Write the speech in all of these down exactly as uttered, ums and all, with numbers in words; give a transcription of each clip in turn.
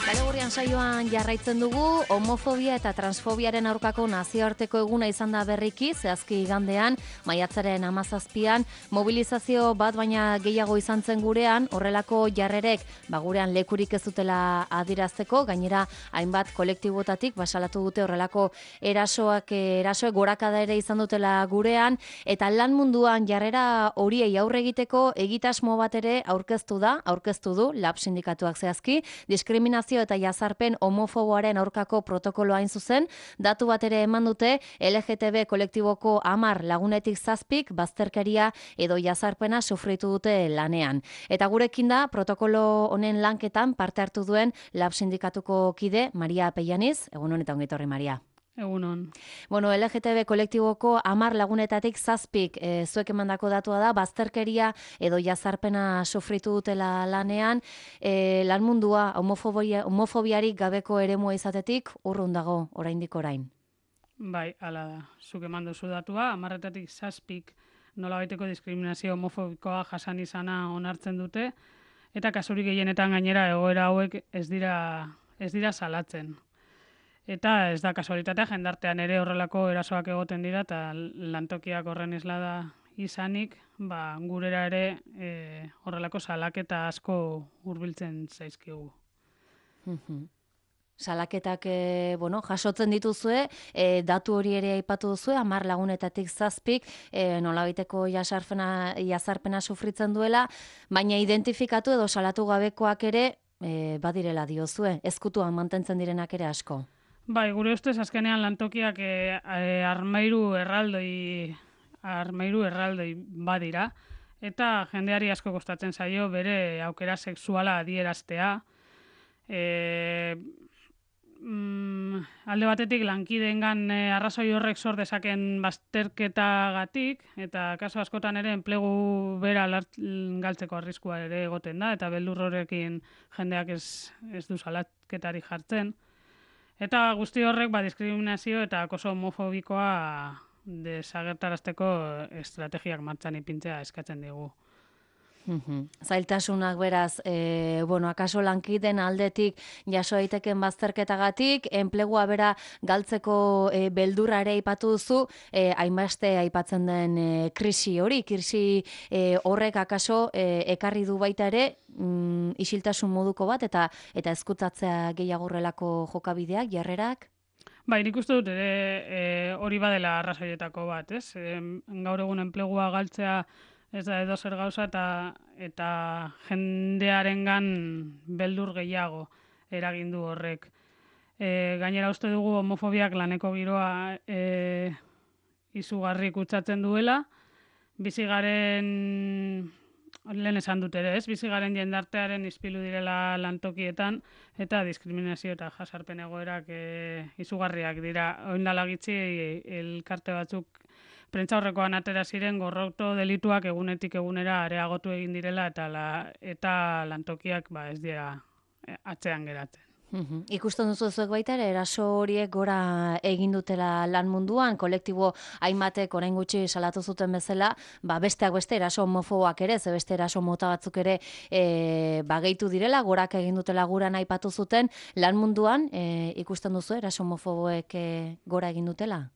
Galegurrian saioan jarraitzen dugu, homofobia eta transfobiaren aurkako nazioarteko eguna izan da berriki, zehazki igandean, maiatzaren hamazazpian, mobilizazio bat baina gehiago izan zen gurean, horrelako jarrerek, ba gurean lekurik ez dutela adirazteko, gainera hainbat kolektibotatik basalatu dute horrelako erasoak, erasoek gorakada ere izan dutela gurean, eta lan munduan jarrera horiei aurre egiteko egitasmo bat ere aurkeztu da, aurkeztu du, lab sindikatuak zehazki, diskriminazio eta jazarpen homofoboaren aurkako protokoloa hain zuzen, datu bat ere eman dute L G T B kolektiboko hamar lagunetik zazpik bazterkeria edo jazarpena sufritu dute lanean. Eta gurekin da protokolo honen lanketan parte hartu duen lab sindikatuko kide Maria Pellaniz, egun honetan ongi etorri Maria. Egunon. Bueno, L G T B kolektiboko hamar lagunetatik zazpik e, zuek emandako datua da, bazterkeria edo jazarpena sufritu dutela lanean, e, lan mundua homofobia, homofobiarik gabeko eremua izatetik urrun dago oraindik orain. Bai, hala da. Zuk eman duzu datua, hamarretatik zazpik nolabaiteko diskriminazio homofobikoa jasan izana onartzen dute, eta kasurik gehienetan gainera egoera hauek ez dira, ez dira salatzen. Eta ez da kasualitatea, jendartean ere horrelako erasoak egoten dira, eta lantokiak horren islada izanik, ba, gurera ere e, horrelako salaketa asko hurbiltzen zaizkigu. Salaketak e, bueno, jasotzen dituzue, e, datu hori ere aipatu duzue, hamar lagunetatik zazpik, e, nolabaiteko jasarpena, jazarpena sufritzen duela, baina identifikatu edo salatu gabekoak ere e, badirela diozue, ezkutuan mantentzen direnak ere asko. Bai, gure ustez azkenean lantokiak e, e, armairu erraldoi armairu erraldoi badira, eta jendeari asko kostatzen zaio bere aukera sexuala adieraztea. E, mm, alde batetik lankideengan e, arrazoi horrek sor dezaken bazterketagatik, eta kaso askotan ere enplegu bera lart, galtzeko arriskua ere egoten da, eta beldur horrekin jendeak ez, ez du salatketari jartzen. Eta guzti horrek ba, diskriminazio eta acoso homofobikoa desagertarazteko estrategiak martxan ipintzea eskatzen digu. Uhum. Zailtasunak beraz, e, bueno, akaso lankiden aldetik jaso daiteken bazterketagatik, enplegua bera galtzeko e, beldurra ere aipatu duzu, e, hainbeste aipatzen den e, krisi hori, krisi e, horrek akaso e, ekarri du baita ere, mm, isiltasun moduko bat, eta eta ezkutatzea gehiago horrelako jokabideak, jarrerak? Bai, nik uste dut ere e, hori badela arrazoietako bat, ez? E, gaur egun enplegua galtzea ez da edo zer gauza eta, eta jendearengan beldur gehiago eragindu horrek. E, gainera uste dugu homofobiak laneko giroa e, izugarri kutsatzen duela, bizigaren, lehen esan dut ere ez, bizigaren jendartearen ispilu direla lantokietan, eta diskriminazio eta jasarpen egoerak e, izugarriak dira. Oindala gitxi elkarte batzuk prentza horrekoan atera ziren gorroto delituak egunetik egunera areagotu egin direla eta la, eta lantokiak ba ez dira atzean geratzen. Uhum. Ikusten duzu zuek baita ere, eraso horiek gora egin dutela lan munduan, kolektibo hainbatek orain gutxi salatu zuten bezala, ba besteak beste eraso homofoboak ere, ze beste eraso mota batzuk ere e, ba gehitu direla, gorak egin dutela guran aipatu zuten, lan munduan e, ikusten duzu eraso homofoboek e, gora egin dutela?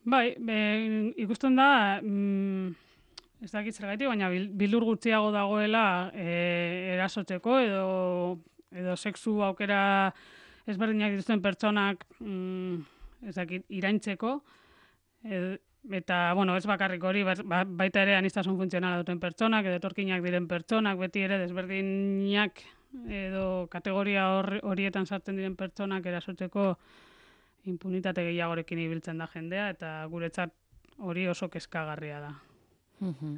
Bai, be, ikusten da, mm, ez dakit zergatik, baina bildur gutxiago dagoela e, erasotzeko edo edo sexu aukera ezberdinak dituzten pertsonak mm, ez dakit, iraintzeko, ed, eta, bueno, ez bakarrik hori, ba, baita ere aniztasun funtzionala duten pertsonak, edo etorkinak diren pertsonak, beti ere desberdinak edo kategoria hor, horietan sartzen diren pertsonak erasotzeko impunitate gehiagorekin ibiltzen da jendea, eta guretzat hori oso kezkagarria da. Uhum.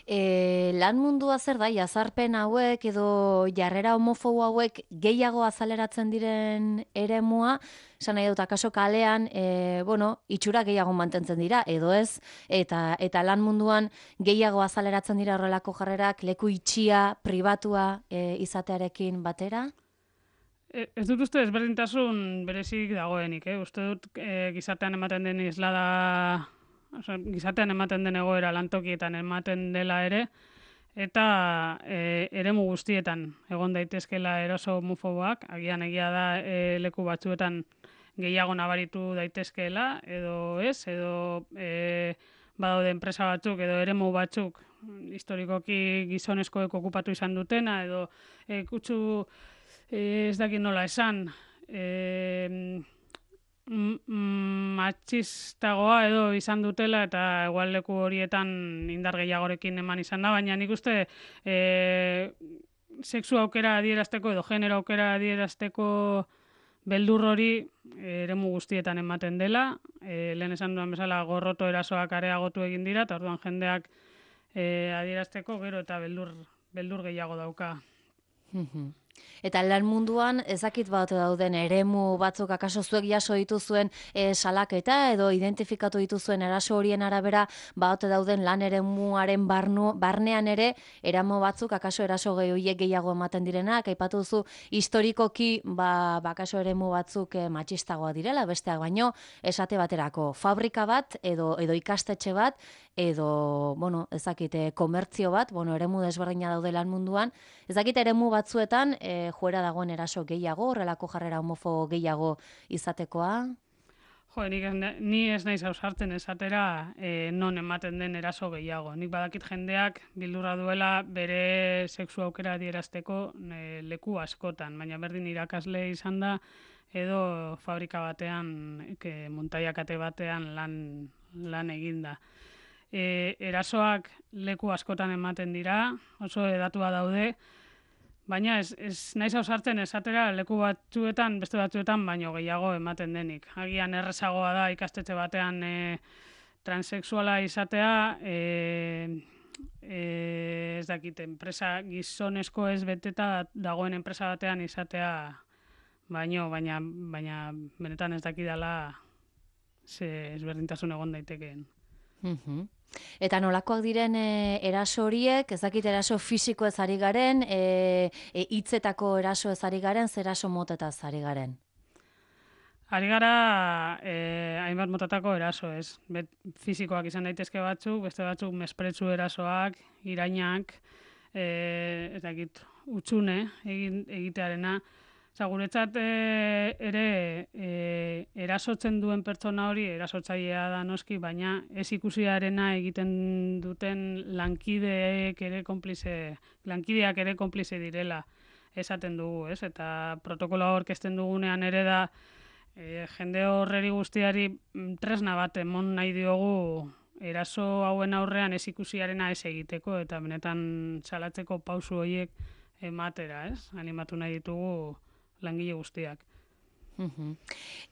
E, lan mundua zer da, jazarpen hauek edo jarrera homofobo hauek gehiago azaleratzen diren eremua, esan nahi dut, akaso kalean, e, bueno, itxura gehiago mantentzen dira, edo ez, eta, eta lan munduan gehiago azaleratzen dira horrelako jarrerak, leku itxia, pribatua e, izatearekin batera? E, ez dut uste ezberdintasun berezik dagoenik, eh? Uste dut e, gizartean ematen den islada, oza, gizartean ematen den egoera lantokietan ematen dela ere, eta e, eremu guztietan egon daitezkela eraso homofoboak, agian egia da e, leku batzuetan gehiago nabaritu daitezkeela, edo ez, edo e, badaude enpresa batzuk, edo eremu batzuk, historikoki gizonezkoek okupatu izan dutena, edo e, kutsu e, ez dakit nola esan, e, matxistagoa edo izan dutela eta igual leku horietan indar gehiagorekin eman izan da, baina nik uste e, sexu aukera adierazteko edo genero aukera adierazteko beldur hori e, eremu guztietan ematen dela, e, lehen esan duan bezala gorroto erasoak areagotu egin dira, eta orduan jendeak e, adierazteko gero eta beldur, beldur gehiago dauka. Eta lan munduan ezakit bat dauden eremu batzuk akaso zuek jaso dituzuen e, salaketa edo identifikatu dituzuen eraso horien arabera bat dauden lan eremuaren barnu, barnean ere eramo batzuk akaso eraso gehiago gehiago ematen direnak, aipatu duzu historikoki ba, bakaso eremu batzuk e, matxistagoa direla, besteak baino esate baterako fabrika bat edo edo ikastetxe bat edo, bueno, ezakite, komertzio bat, bueno, eremu desberdina daude lan munduan, ezakite eremu batzuetan e, joera dagoen eraso gehiago, horrelako jarrera homofobo gehiago izatekoa? Jo, nik ez, ni ez naiz ausartzen esatera e, non ematen den eraso gehiago. Nik badakit jendeak bildurra duela bere sexu aukera adierazteko e, leku askotan, baina berdin irakasle izan da edo fabrika batean, ke, montaiakate batean lan, lan eginda. E, erasoak leku askotan ematen dira, oso edatua daude, baina ez, ez naiz ausartzen esatera leku batzuetan, beste batzuetan, baino gehiago ematen denik. Agian errezagoa da ikastetxe batean e, transexuala izatea, e, e, ez dakit, enpresa gizonezko ez beteta dagoen enpresa batean izatea, baino, baina, baina benetan ez dakidala ze ezberdintasun egon daitekeen. Mhm. Eta nolakoak diren e, eraso horiek, ez dakit eraso fisiko ez ari garen, e, e, hitzetako eraso ez ari garen, zer eraso motetaz ari garen? Ari gara e, hainbat motatako eraso ez. Bet, fisikoak izan daitezke batzuk, beste batzuk mespretsu erasoak, irainak, e, ez dakit, utxune egin, egitearena. Osa, guretzat e, ere e, erasotzen duen pertsona hori erasotzailea da noski, baina ez ikusiarena egiten duten lankideek ere konplize, lankideak ere konplize direla esaten dugu, ez? Eta protokoloa aurkezten dugunean ere da e, jende horreri guztiari tresna bat emon nahi diogu eraso hauen aurrean ez ikusiarena ez egiteko eta benetan salatzeko pausu horiek ematera, ez? Animatu nahi ditugu langile guztiak. Uhum.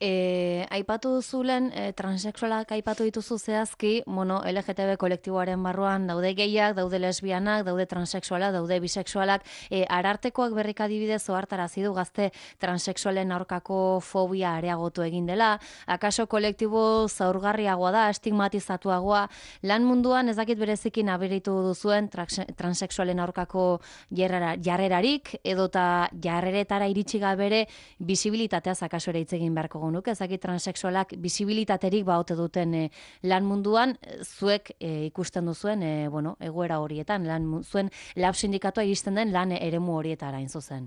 E, aipatu duzulen, e, transexualak aipatu dituzu zehazki, bueno, L G T B kolektiboaren barruan daude gehiak, daude lesbianak, daude transexualak, daude bisexualak, e, arartekoak berrik adibidez ohartarazi du gazte transexualen aurkako fobia areagotu egin dela, akaso kolektibo zaurgarriagoa da, estigmatizatuagoa, lan munduan ez dakit berezikin aberitu duzuen transexualen aurkako jarrera, jarrerarik, edota jarreretara iritsi gabere bisibilitatea akaso ere hitz egin beharko genuke, ezakit transexualak bisibilitaterik baote duten e, lan munduan, zuek e, ikusten duzuen, e, bueno, egoera horietan, lan, zuen lab sindikatua iristen den lan eremu horietara hain zuzen.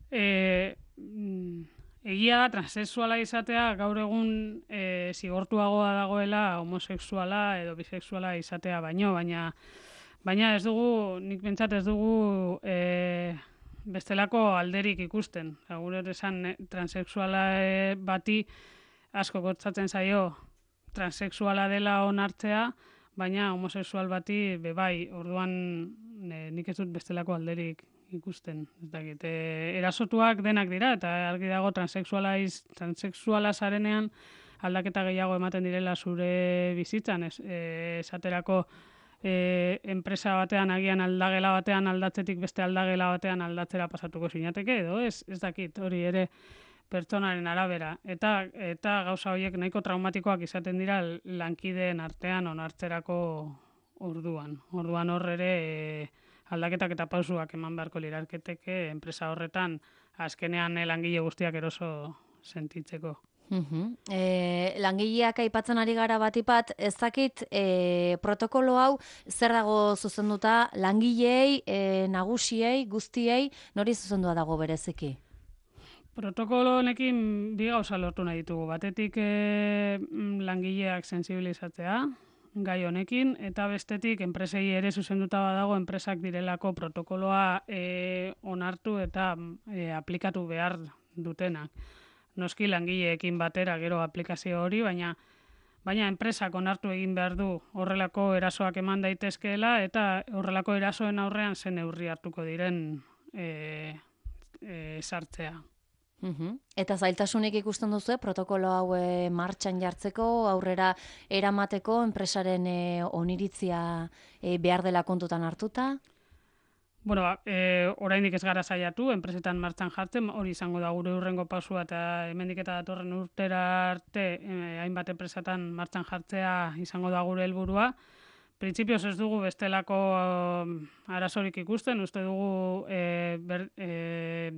E, egia da, transexuala izatea gaur egun e, zigortuagoa dagoela homosexuala edo bisexuala izatea baino, baina baina ez dugu, nik pentsat ez dugu e, bestelako alderik ikusten. Gure esan transexuala bati asko kotzatzen zaio transexuala dela onartzea, baina homosexual bati bebai, orduan e, nik ez dut bestelako alderik ikusten. Ez dakit, e, erasotuak denak dira, eta argi dago transexuala, iz, transexuala zarenean aldaketa gehiago ematen direla zure bizitzan, ez, e, esaterako E, enpresa batean agian aldagela batean aldatzetik beste aldagela batean aldatzera pasatuko sinateke edo ez, ez dakit, hori ere pertsonaren arabera. Eta eta gauza horiek nahiko traumatikoak izaten dira lankideen artean onartzerako orduan. Orduan hor ere e, aldaketak eta pausuak eman beharko lirateke enpresa horretan azkenean langile guztiak eroso sentitzeko. Uhum. E, langileak aipatzen ari gara batipat, ez dakit e, protokolo hau zer dago zuzenduta langileei, e, nagusiei, guztiei, nori zuzendua dago bereziki? Protokolo honekin bi gauza lortu nahi ditugu. Batetik e, langileak sensibilizatzea gai honekin, eta bestetik enpresei ere zuzenduta badago enpresak direlako protokoloa e, onartu eta e, aplikatu behar dutenak. Noski langileekin batera gero aplikazio hori, baina baina enpresak onartu egin behar du horrelako erasoak eman daitezkeela eta horrelako erasoen aurrean zen neurri hartuko diren e, e, sartzea. Uhum. Eta zailtasunik ikusten duzu, protokolo hau e, martxan jartzeko, aurrera eramateko, enpresaren e, oniritzia e, behar dela kontutan hartuta? Bueno, ba, e, oraindik ez gara saiatu, enpresetan martxan jartzen, hori izango da gure urrengo pausua eta hemendik eta datorren urtera arte e, hainbat enpresatan martxan jartzea izango da gure helburua. Printzipioz ez dugu bestelako um, arazorik ikusten, uste dugu e, ber, e,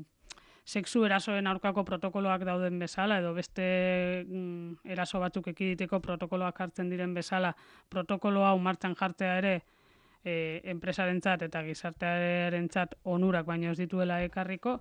sexu erasoen aurkako protokoloak dauden bezala, edo beste mm, eraso batzuk ekiditeko protokoloak hartzen diren bezala, protokolo hau martxan jartzea ere e, enpresarentzat eta gizartearentzat onurak baino ez dituela ekarriko,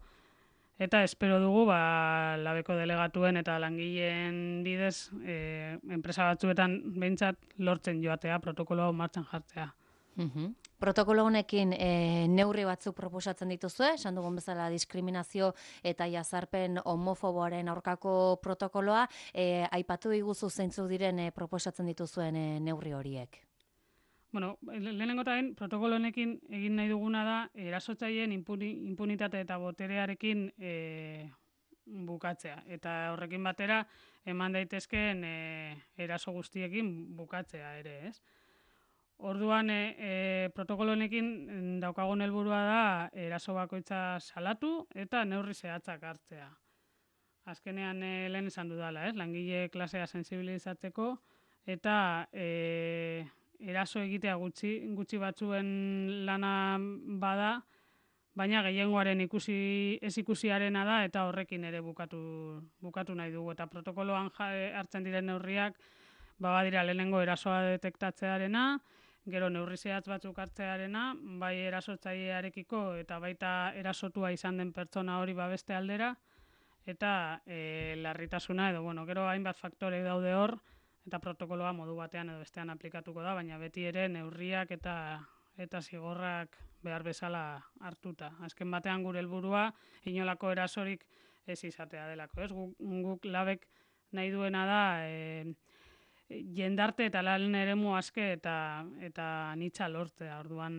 eta espero dugu ba, labeko delegatuen eta langileen bidez e, enpresa batzuetan behintzat lortzen joatea protokolo hau martxan jartzea. Uhum. Protokolo honekin e, neurri batzuk proposatzen dituzue, esan dugun bezala diskriminazio eta jazarpen homofoboaren aurkako protokoloa, e, aipatu iguzu zeintzuk diren e, proposatzen dituzuen e, neurri horiek. Bueno, lehenengo eta protokolo honekin egin nahi duguna da erasotzaileen impuni, impunitate eta boterearekin e, bukatzea. Eta horrekin batera eman daitezkeen e, eraso guztiekin bukatzea ere, ez? Orduan, e, e, protokolo honekin daukagun helburua da eraso bakoitza salatu eta neurri zehatzak hartzea. Azkenean e, lehen esan dudala, ez? Langile klasea sensibilizatzeko eta e, eraso egitea gutxi, gutxi batzuen lana bada, baina gehiengoaren ikusi ez ikusiarena da eta horrekin ere bukatu, bukatu nahi dugu. Eta protokoloan hartzen diren neurriak, ba badira lehenengo erasoa detektatzearena, gero neurri zehatz batzuk hartzearena, bai erasotzailearekiko eta baita erasotua izan den pertsona hori babeste aldera, eta e, larritasuna edo, bueno, gero hainbat faktore daude hor, eta protokoloa modu batean edo bestean aplikatuko da, baina beti ere neurriak eta eta zigorrak behar bezala hartuta. Azken batean gure helburua inolako erasorik ez izatea delako, ez? Guk, guk labek nahi duena da e, jendarte eta lan eremu aske eta eta anitza lortzea, orduan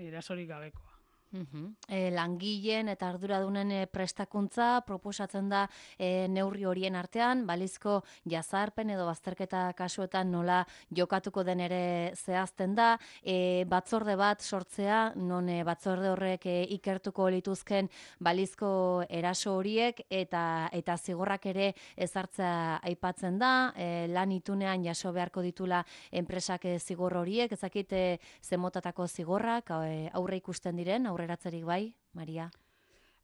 erasorik gabekoa. Uhum. E, langileen eta arduradunen e, prestakuntza proposatzen da e, neurri horien artean, balizko jazarpen edo bazterketa kasuetan nola jokatuko den ere zehazten da, e, batzorde bat sortzea, non e, batzorde horrek e, ikertuko lituzken balizko eraso horiek eta eta zigorrak ere ezartzea aipatzen da, e, lan itunean jaso beharko ditula enpresak e, zigor horiek, ezakit e, zemotatako zigorrak e, aurre ikusten diren, aurreratzerik bai, Maria?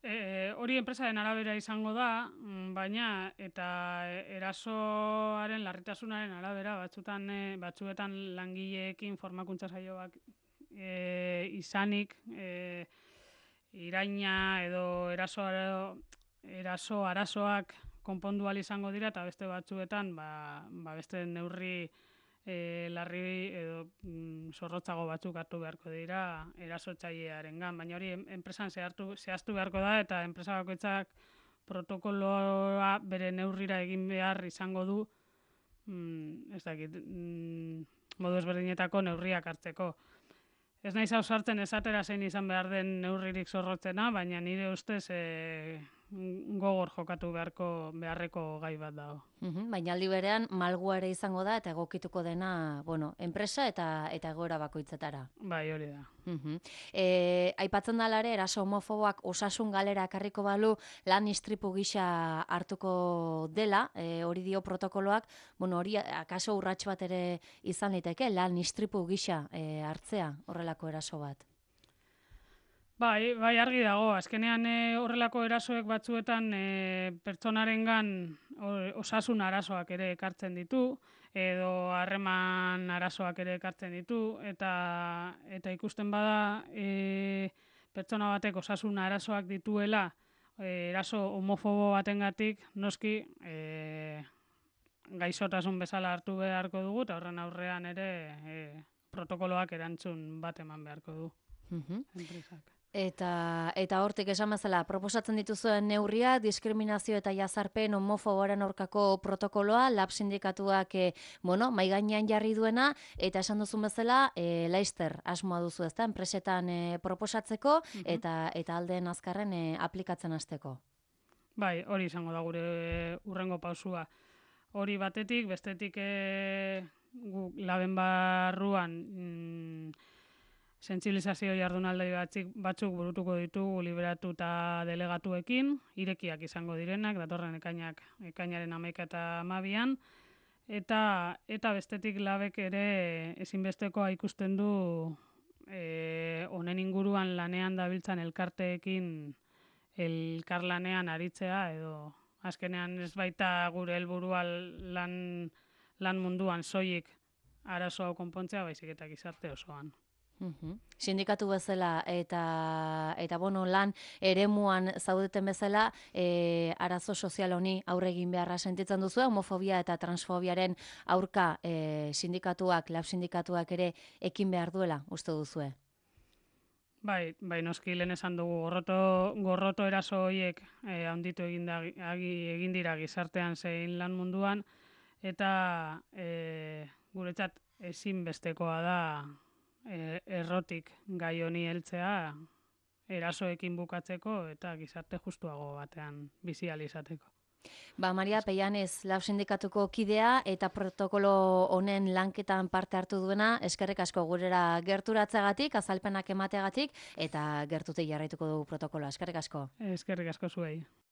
E, hori enpresaren arabera izango da, baina eta erasoaren larritasunaren arabera batzutan e, batzuetan langileekin formakuntza saioak e, izanik e, iraina edo eraso eraso arazoak konpondu ahal izango dira eta beste batzuetan ba, ba beste neurri E, larri edo mm, zorrotzago batzuk hartu beharko dira erasotzailearengan, baina hori enpresan zehaztu, zehaztu beharko da eta enpresa bakoitzak protokoloa bere neurrira egin behar izango du mm, ez dakit, mm, modu ezberdinetako neurriak hartzeko. Ez naiz ausartzen esatera zein izan behar den neurririk zorrotzena, baina nire ustez e, gogor jokatu beharko beharreko gai bat dago. Uhum, baina aldi berean malgua ere izango da eta egokituko dena, bueno, enpresa eta eta egoera bakoitzetara. Bai, hori da. Uhum. E, aipatzen da ere eraso homofoboak osasun galera ekarriko balu lan istripu gisa hartuko dela, e, hori dio protokoloak, bueno, hori akaso urrats bat ere izan liteke lan istripu gisa e, hartzea horrelako eraso bat. Bai, bai argi dago, azkenean e, horrelako erasoek batzuetan e, pertsonarengan osasun arazoak ere ekartzen ditu, edo harreman arazoak ere ekartzen ditu, eta eta ikusten bada e, pertsona batek osasun arazoak dituela, e, eraso homofobo batengatik noski e, gaixotasun bezala hartu beharko dugu, eta horren aurrean ere e, protokoloak erantzun bat eman beharko du. Mhm. Enpresak. Eta eta hortik esan bezala, proposatzen dituzuen neurria, diskriminazio eta jazarpen homofoboaren aurkako protokoloa, lab sindikatuak e, bueno, mai gainean jarri duena, eta esan duzun bezala, e, laister asmoa duzu, ezta, enpresetan e, proposatzeko, Mhm. eta eta aldeen azkarren e, aplikatzen hasteko. Bai, hori izango da gure urrengo pausua. Hori batetik, bestetik e, gu laben barruan mm, sentsibilizazio jardunaldi batzuk, batzuk burutuko ditugu liberatu eta delegatuekin, irekiak izango direnak, datorren ekainak, ekainaren hamaika eta hamabian, eta, eta bestetik labek ere ezinbestekoa ikusten du e, honen inguruan lanean dabiltzan elkarteekin elkarlanean aritzea, edo azkenean ez baita gure helburua lan, lan munduan soilik arazo hau konpontzea, baizik eta gizarte osoan. Mhm. Sindikatu bezala eta eta bueno, lan eremuan zaudeten bezala, e, arazo sozial honi aurre egin beharra sentitzen duzu, homofobia eta transfobiaren aurka e, sindikatuak, lab sindikatuak ere ekin behar duela, uste duzue? Bai, bai noski lehen esan dugu gorroto, gorroto eraso horiek eh, handitu egin, da, agi, egin dira gizartean zein lan munduan, eta eh, guretzat ezinbestekoa da eh, errotik gai honi heltzea erasoekin bukatzeko eta gizarte justuago batean bizi ahal izateko. Ba, Maria Peianez, lab sindikatuko kidea eta protokolo honen lanketan parte hartu duena, eskerrik asko gurera gerturatzeagatik, azalpenak emateagatik, eta gertutik jarraituko dugu protokoloa. Eskerrik asko. Eskerrik asko zuei.